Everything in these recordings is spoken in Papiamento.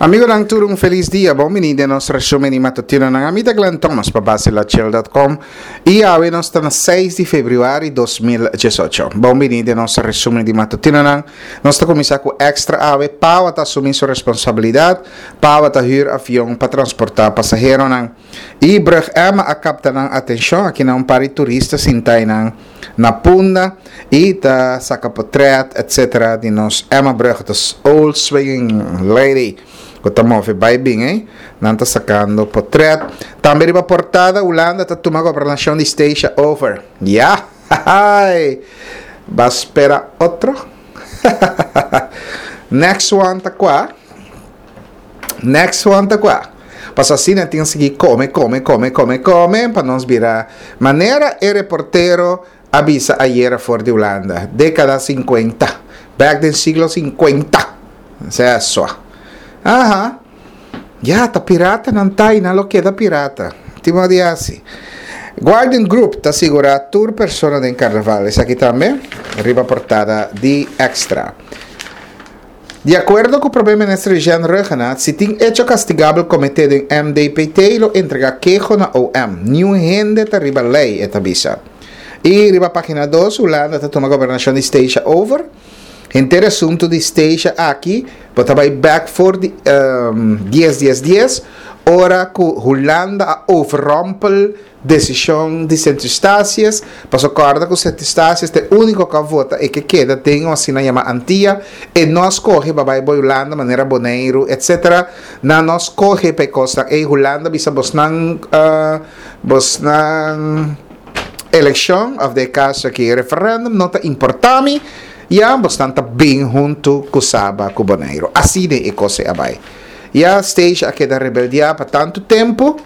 Amigonan tur un felis dia, bon bini den nos resumen di matutinonan. Ami ta Glenn Thomas pa basilachel.com y awe nos ta na 6 di februari 2018. Bon bini den nos resumen di matutinonan. Nos ta cuminsa cu extra awe, Pawa ta asumi su responsabilidad, Pawa ta huur avion pa transporta pasaheronan. Y Brug Emma a capta nan atencion, aki nan un par di turista sinta eynan na Punda y ta saca potret etc di nos Emma Brug, ta old swinging lady cu ta move bay bin ey, nan ta sacando potret. Tambe riba portada Hulanda ta tuma gobernacion di Statia over. Ya! Hahaay! Ba spera otro? Next one ta cua? Next one ta kua? Paso asina tin sigui kome, kome, kome, kome, kome pa nos bira manera e reportero a bisa ayera for di Hulanda, dekada sinkuenta, bek den siglo sinkuenta. Sea sua. Aha. Ya, ta pirata nan ta i nan lo keda pirata. Tin modo di hasi. Guardian Group ta sigura tur persona den karnaval. Esaki tambe riba portada di Extra. Di akuerdo ku Prome Minister Jean Rhuggenaath, si tin echo kastigabel kometé den MDPT lo entregá keho na OM. Niun hende ta riba lei, e ta bisa. I riba página dos, Hulanda ta tuma gobernashon di Statia over. Henter e asuntu di Statia aki bo ta bai bèk for di dies dies dies, ora ku Hulanda a overrompel Desishon di Sint Eustatius, Paso kòrda ku Sint Eustatius ta e úniko ku a vota e ke keda den un asina yamá Antia, e no a skohe pa bai bo Hulanda manera Boneiru etc. Nan no a skohe pa e kosnan ei, Hulanda bisa bosnan bosnan elekshon òf den e kaso aki referèndum no ta importá mi, ya bosnan ta bin huntu ku Saba ku Boneiru. Asina e kos ei a bai. Ya Statia a keda rebeldiá pa tantu tempu.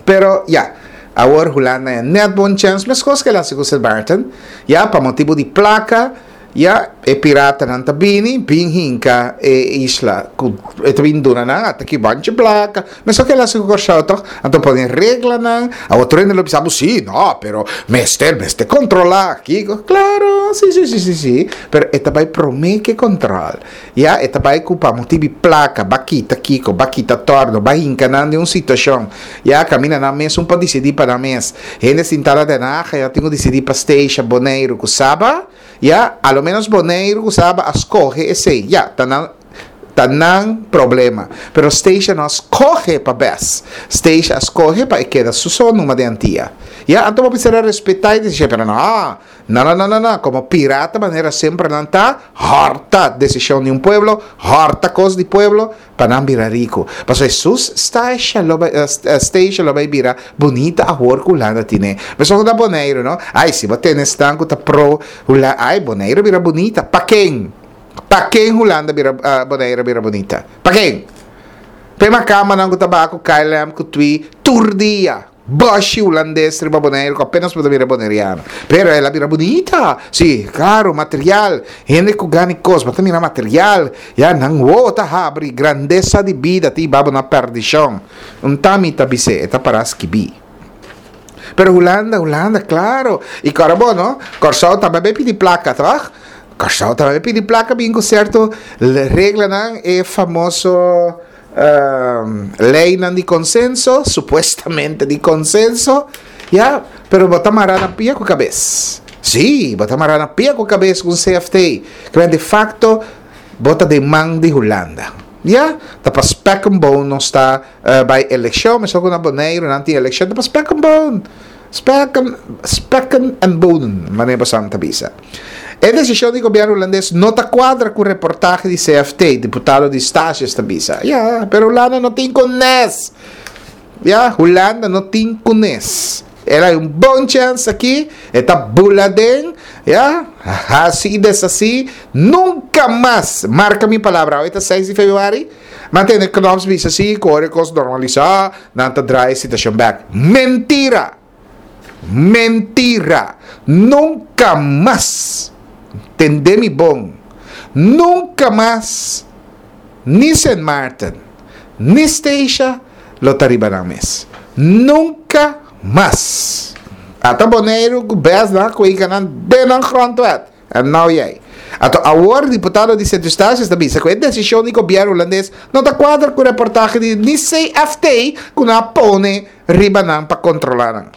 Pero ya, awor Hulanda ya net bon chèns, meskos ku el hasi ku Sint Maarten, ya, pa motibu di plaka, ya, e piratanan ta bini, bin hinka e isla ku e ta bin duna nan, ata ki banchi plaka, meskos ku el hasi ku Kòrsou tòg, anto pone reglanan, awor tur hende lo bisa bo si, no, pero mester, mester kontrolá kiko, klaro, si, si, si, si, si, pero e ta bai promé ke kòntròl. Ya e ta bai ku pa motibi plaka, ba kita kiko, ba kita torno, ba hinka nan den un situashon. Ya kaminda nan mes un por disidí pa nan mes. Hende sintá na Den Haag ya tin ku disidí pa Statia, Boneiru ku Saba. Ya, a lo menos Boneiru ku Saba a skohe esei. Ya, ta nan ta nan problema. Pero Statia no a skohe pa bes. Statia a skohe pa e keda su so numa den Antia. Ya, anto bo mester a respetá e desishon, pero no. No, no, no, no, no, como pirata manera semper nan ta, horta decision di un pueblo, horta cos di pueblo, pa nan bira rico. Pasobra Jesus Statia lo bay, Statia lo bay bira bunita awor cu Hulanda tine. Mesun cu na Boneiru, no? Ay, si bo tene esnan cu ta pro Hulanda, ay, Boneiru bira bunita. Pa ken? Pa ken Hulanda bira, Boneiru bira bunita? Pa ken? P'e macambanan cu ta baha cu KLM, cu twi, tur dia. Bòshi hulandes riba Boneiru ku apenas bo ta mira boneriano. Pero el a bira bunita. Sí, klaro, material. Hende ku gana e kos, bo ta mira material. Ya, nan wowo ta habri. Grandesa di bida ta hiba bo na pèrdishon. Un ta mi ta bis'é, e ta pará skibí. Pero Hulanda, Hulanda, klaro. I kòrda bo, no? Kòrsou tambe a bai pidi plaka, tòg? Kòrsou tambe a bai pidi plaka bin ku sierto reglanan, e famoso. Leynan di consenso, supuestamente di consenso, ya, pero bo ta mara na pia cu cabes. Sí, bo ta mara na pia cu cabes cu un CFT. Kibera de facto bo ta den man di Hulanda. Ya, ta pa spek en bone nos ta bay eleccion, mesun cu na Boneiru nan tin eleccion, ta pa spek en bone. Spekken, spekken en bonen, manera bosan ta bisa. E desishon di gobièrnu hulandes no ta kuadra ku reportahe di CFT, diputado di Stasius ta bisa. Ya, pero Hulanda no tin kunes. Ya, Hulanda no tin kunes. El hay un bon chèns aki, e ta bula den, ya, hasi i deshasí, nunka mas, marka mi palabra, awe ta seis di februari, Nan tende Knops bisa si ku ora e kos normalisá, nan ta draai e situashon bèk. Mentira! Mentira! Nunka mas! Tende mi bon, nunka mas ni Sint Maarten ni Statia lo ta riba nan mes. Nunka mas! Ata Boneiru ku bes nan a kuika nan den nan grondwet. En nou jij. Anto awor diputado di Sint Eustatius ta bisa ku e desishon di gobièrnu hulandes no ta kuadra ku reportahe di ni CFT ku nan a pone riba nan pa kontrolá nan.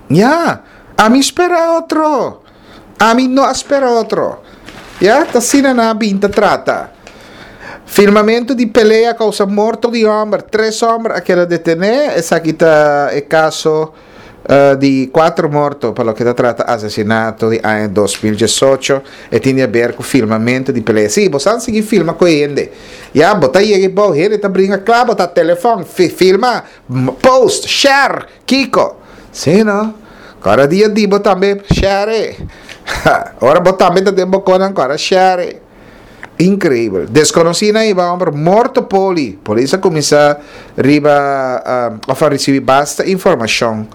Ya, ami spera otro. Ami no a spera otro. Ya, ta asina nan a bin ta trata. Firmamentu di pelea kousa morto di hòmber. Tres hòmber a keda detené. Esaki ta e kaso di kuater morto pa loke ta trata asesinato di aña 2018. E tin di aber ku firmamentu di pelea. Sí, bo san sigui firma ku e hende. Ya, bo ta yega bou, hende ta bringa kla, bo ta telefòn, firma, post, share. Kiko? Sí, no? Kora dia di bo tambe share. Ora bo tambe ta den bo konan kora share. Increíbel. Desconocí na iba homber morto poli. Polis a cuminsa riba uh, of a ricibi basta informacion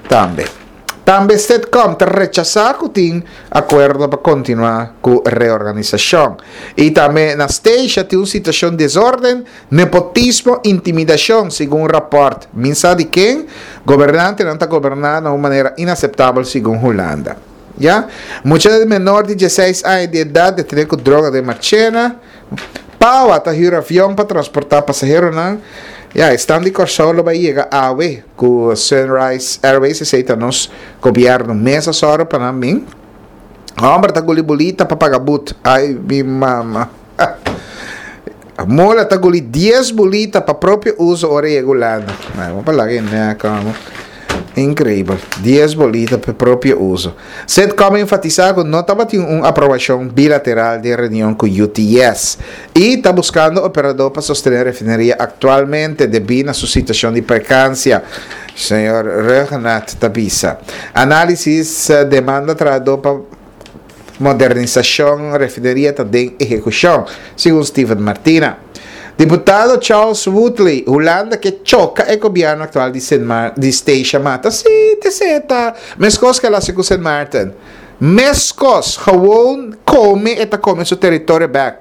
tambe. Tambe Stedcom ta rechasa cu tin acuerdo pa continua cu reorganisacion. Y tambe na Statia tin un situacion desorden Nepotismo, intimidacion, segun raport. Min sa di ken? Gobernantenan ta goberna na un manera inaceptabel segun Hulanda. Ya. Mucha menor di dieseis aña di edad detene cu droga den Marchena. Pawa ta huur avion pa transporta pasaheronan. Ya, esnan di Corsou lo bay yega awe cu Sunrise Airways, esey ta nos gobierno mes a soro pa nan bin. Homber ta guli bolita pa paga but. Ay mi mama. Mola ta guli dies bolita pa propio uso ora e yega Hulanda. Ay, bo pa laga e nek amo. Increíbel. Dies bolita pa propio uso. Sitcom a enfatisa cu no tabatin un aprobacion bilateral den reunion cu UTS y ta buscando operador pa sostene refineria actualmente debi na su situacion di precancia, señor Rhuggenaath ta bisa. Analisis demanda trahador pa Modernisashon refineria ta den ehekushon, segun Steven Martina. Diputado Charles Woodley, Hulanda ke choka e gobièrnu aktual di Sint Mar di Statia mata. Sí, te seta. Meskos ke el hasi ku Sint Maarten. Meskos, gewoon kome e ta kome su teritorio bèk.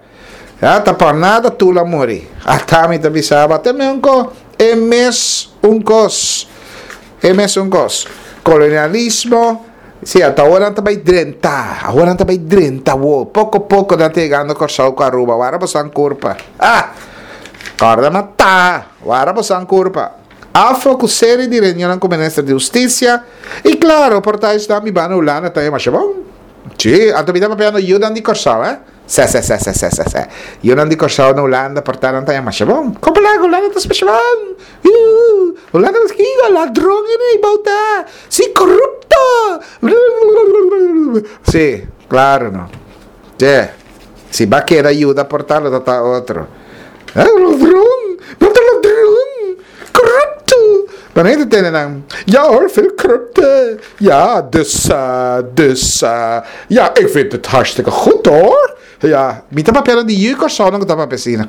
Ya, ta por nada Tula muri. Ata mi ta bisa bo, te me un ko, e mes un kos. E mes un kos. Kolonialismo, si, ata awor nan ta bai drenta. Awor nan ta bai drenta awor. Poko poko nan ta yegando Kòrsou ku Aruba. Wara boso an kurpa. Ah! Kòrda mata. Wara boso an kurpa. Afo ku seri di reunionnan ku Minister di Hustisia. I klaro, por ta esnan bibá na Hulanda ta e masha bon. Si, anto mi ta papiando yunan di Kòrsou, eh. Sè sè sè sè sè sè sè. Yunan di Kòrsou na Hulanda por ta nan ta masha bon. Kopo laga Hulanda ta masha bon. Uu, Hulanda ta kico ladron e nei bou ta. Si korupto. Si, klaro no. Che, si ba keda yuda por ta lo ta ta otro. Ladron, bo ta ladron. Corrupto! Maar nee, te tende nan. Ja hoor, veel corrupte. Ja, dus, uh, dus, uh, ja, ik vind het hartstikke goed hoor. Ja, mi ta papia di yu Kòrsou no ku ta papia asina.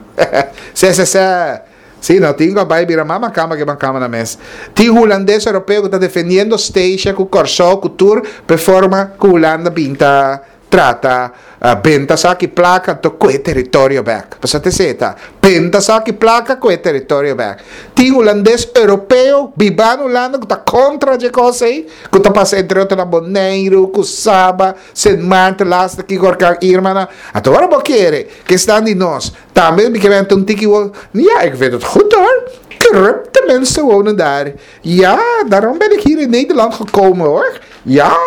Se, se, se. Si, no tin ku a bai bira mas makamba ke makamba na mes. Tin hulandes europeo ku ta defendiendo Statia ku Kòrsou ku tur pe forma ku Hulanda bin ta Trata benta saki plaka anto koe teritorio bek. Pasobra ta esei ta. Benta saki plaka koe teritorio bek. Tin hulandes europeo bibá na Hulanda ku ta kontra dje kos ei, ku ta pasa entre otro na Boneiru, ku Saba, Sint Maarten, laatste kiko orkan Irma na. Anto ora bo kere ke esnan di nos tambe mi ke benta un tiki wo, ja ik vind het goed hoor. Corrupte mensen wonen daar. Ja, daarom ben ik hier in Nederland gekomen hoor. Ja,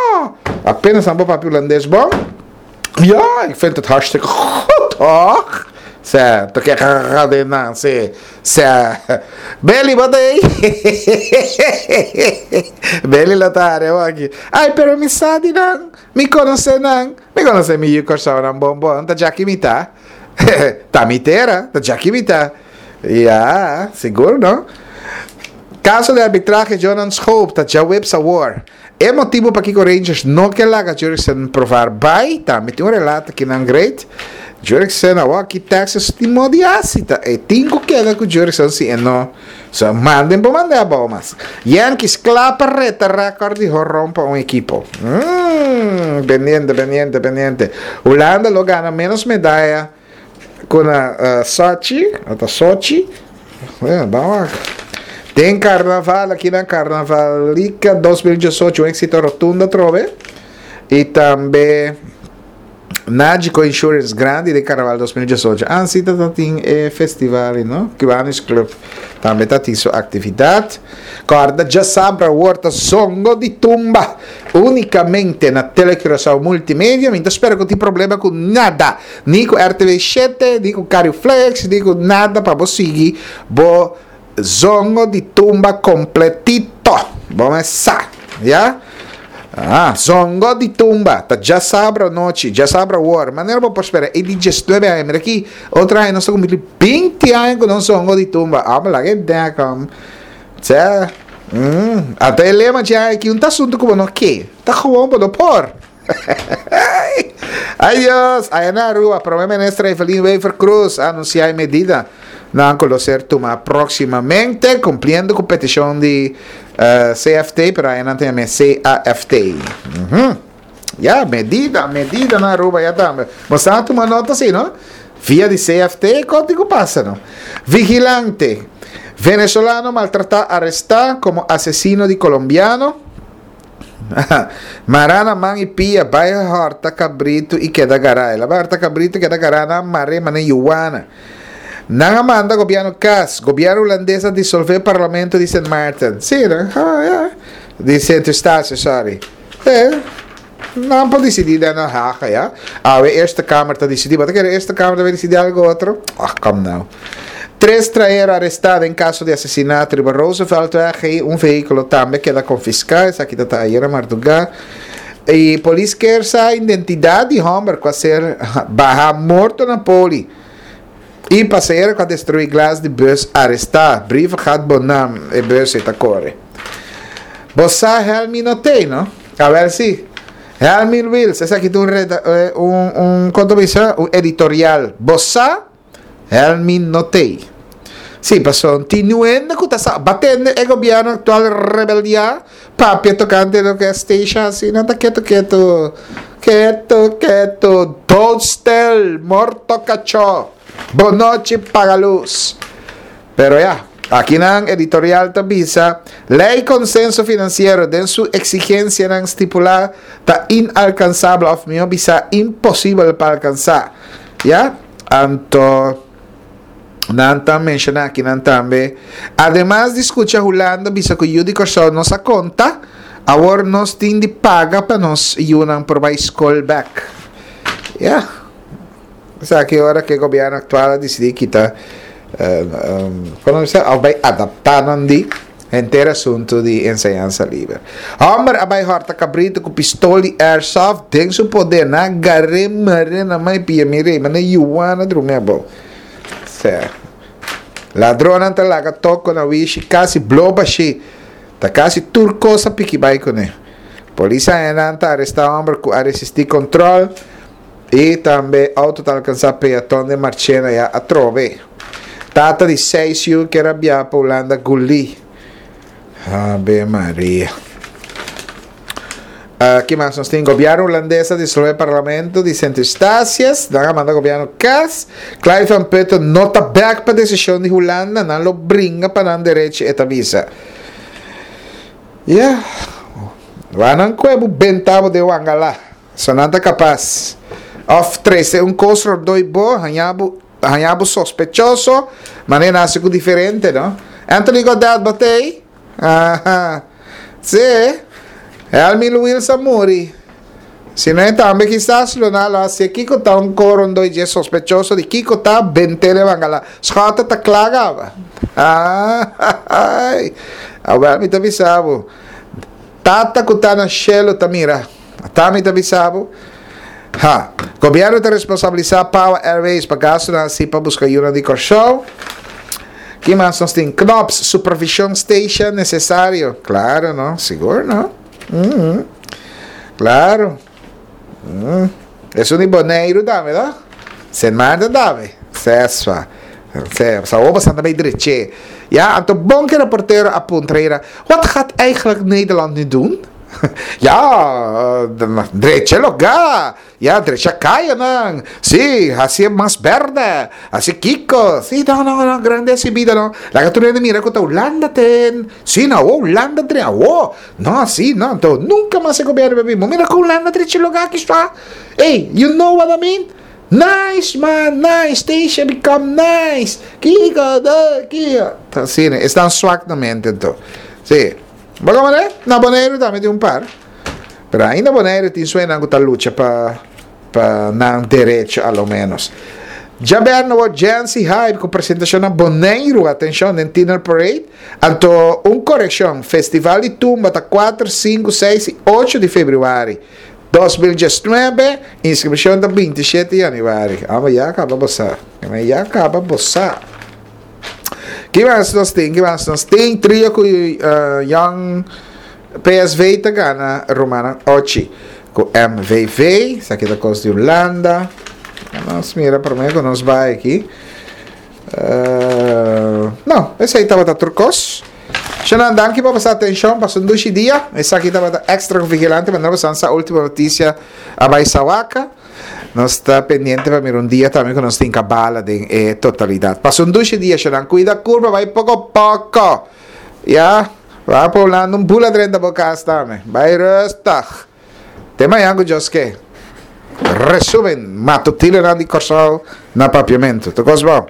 apenas nan por papia Hulandes bon. Ja, ik vind het hartstikke goed hoor. Sè, to ke den nan, se, se. Beli, wat ei? Beli lo ta haria aki. Ai, pero mi sa di nan, mi konosé nan, mi konosé mi yu Kòrsou nan bon bon, ta djaki mi ta. Ta mi tera, ta djaki mi ta. Ja, sigur no. Caso di arbitrahe Jonan Schoop ta djaweps awor. E motibo pakiko Rangers no ke laga Jurickson Profar bai tambe tin un relato kinan great. Jurickson awor aki Texas tin mo di hasi ta e tin ku keda ku Jurickson si e no so manden por mande abou mas. Yankees kla pa reta record di horon pa un ekipo. Mm, pendiente, pendiente, pendiente. Hulanda lo gana menos medaya Ku na Sochi, o ta Sochi? Bueno, ban wak. Den karnaval, aki na Karnavalika 2018, un éksito rotundo atrobe. I tambe. Nagico Insurance grandi den Carnaval 2018. Ah, si ta tin e festival, no? Kiwanis Club tambe ta tin su actividad. Corda djasabra awor ta Zongo di Tumba unicamente na Tele Curaçao Multimedia. Mi ta spera cu tin problema cu nada, ni cu RTV 7, ni cu Cariflex, ni cu nada pa bo sigui bo Zongo di tumba completito. Bo me sa. Ya? Ah, zongo di tumba. Ta djasabra anochi, djasabra awor. Manera bo por spera, e di 19 aña. Mira aki, otro aña nos ta cumpli 20 aña cu nos zongo di tumba. Ah, laga e dek, hom. Tse. Mm. Ata e lema dje aña aki, un ta asunto cu bo no ke. Ta gewoon bo no por. Ay Dios! Aya na Aruba, Prome Minister Evelyn Wever-Croes a anuncia e medida nan cu lo ser tuma proximamente, cumpliendo cu peticion di eh, CFT, pero aya nan ta yama CAFT. Mm -hmm. Ya, medida, medida na Aruba ya tambe. Bo sa tuma nota si, no? Via di CFT, konti ku pasa, no? Vigilante. Venezolano maltrata aresta como asesino di colombiano. Mará na man i pia, bai hòrta kabritu i keda gará. El a bai hòrta kabritu i keda gará nan mar'é manera yuwana. Nan a manda gobièrnu kas. Gobièrnu hulandes a disolvé parlamento di Sint Maarten. Sí, no? Ah, ya. Di Sint Eustatius, sorry. Eh, nan por disidí den Den Haag, ya. Awe Eerste Kamer ta disidí. Bo ta kere Eerste Kamer ta bai disidí algu otro? Ah, kom nou. Tres traero arestá den kaso di asesinato riba Rooseveltweg i un vehíkulo tambe keda konfiská, esaki ta ta ayera mardugá. I polis kier sa identidat di hòmber ku a ser bahá morto na poli i pasahero ku a destruí glas di bus arestá. Brievengat bo nam, e bus ei ta kore. Bo sa Helmi no tei no? Awel si. Helmi Wiels, esaki ta un reda un un kon ta bisa un editorial. Bo sa? Helmin no tei. Sí, pasobra tin niun hende ku ta sa batende e gobièrnu aktual rebeldiá papia tokante loke a Statia hasi. Nan ta ketu ketu, ketu ketu, doodstil, morto kachó, bonochi paga lus. Pero ya, akinan editorial ta bisa, Lei Konsenso Finansiero den su eksigensianan stipulá ta inalkansabel òf mihó bisá imposibel pa alkansá. Ya, anto nan ta menshoná akinan tambe, ademas di skucha Hulanda bisa ku yu di Kòrsou no sa konta, awor nos tin di paga pa nos yunan por bai skol bèk. Ya, esaki ora ku e gobièrnu aktual a disidí kita, komo nan bisa, òf bai adaptá nan di. Henter asuntu di enseñansa liber. Homber a bai horta kabritu ku pistol di airsoft den su poder. Nan a gar'é mar'é na mai pia mir'é manda yuana drumi abou. Sè. Ladronnan ta laga toko na wishi kasi blo bashí. Ta kasi tur kos a piki bai kuné. Polis a haña nan ta arestá homber ku a resistí kontrol i tambe outo ta alkansá peaton den Marchena ya atrobe. Tata di seis yu kier a biaha pa Hulanda guli. Ave Maria. Uh, ki mas nos tin? Gobierno hulandes a disolve parlamento di Sint Eustatius. Nan a manda gobierno kas. Clive van Putten no ta bek pa desishon di Hulanda. Nan lo bringa pa nan derechi, e ta bisa. Ya. Wak nan kue bo benta bo den wangala. So nan ta kapas. Of trese un kos rondoi bo, haña bo Haña bo sospechoso, manera nan hasi ku diferente, no? Anthony Godet bo t'ei? Aha. Sí. Helmi Luils a muri. Si no e tambe kisas lo nan lo hasié kiko ta un korondoi dje sospechoso di kiko ta bent'é den bangala. Schotte ta kla gaba. Aai. Awel mi ta bisa bo. Tata ku ta na shelu ta mira. Ata mi ta bisa bo. Ha. Gobierno ta responsabilisa Pawa Airways pa gastonan hasi pa buska yunan di Kòrsou. Ki mas nos tin? Knops, supervision station necesario. Claro no, sigur no. Mm. Claro. Mm. Esun di Boneiru tambe no? Sint Maarten tambe. Sesfa. Se, sa oba santa bay dreche. Ya, anto bon ke reportero a puntra ira, wat gaat eigenlijk Nederland nu doen? Ya, drecha e lugá, ya, drecha kayanan, sí, hasié mas bèrdè, hasi kiko, sí, no, no, no, grandesi bida no, laga tur hende mira ku ta Hulanda ten, sí, no, awor Hulanda dre, awor, no, sí, no, anto nunka mas e gobièrnu por bin, bo mira ku Hulanda drecha e lugá aki sua, ey, you know what I mean? Nice man, nice, Stacia become nice, kiko, do, kiko, ta asina, esnan swak na mente anto, sí. Bo ta manera? Na Boneiru tambe tin un par. Pero ainda Boneiru tin suenan ku ta lucha pa pa nan derecho a lo menos. Djaberno bo Jancy Hype ku presentashon na Boneiru, atenshon, den Tiener Parade. Anto un korekshon, Festival di Tumba ta kuater, sinku, seis i ocho di febrüari 2019, inskripshon ta 27 yanüari. Amo ya kaba bo sa. Ya kaba bo sa. Ki mas nos tin? Ki mas nos tin? Trio ku uh, Young PSV ta gana Romana Ochi ku MVV. Esaki ta kos di Hulanda. Nos mira promé ku nos bai aki. Uh, no, esei tabata tur kos. Shanan, danki pa boso atenshon. Pasa un dushi dia. Esaki tabata extra ku vigilante. Manera boso sa último notisia a bai Sawaka. Nos ta pendiente pa mira un dia tambe ku nos tin kabala den e totalidat. Pasa un dushi dia, Shanan. Kuida kurpa, bai poko poko. Ya, bai pa Hulanda un bula drenta bo kas tambe. Bai rustig. Te mañan ku Dios ke. Resumen matutinonan di Kòrsou na Papiamentu. Tur kos bon.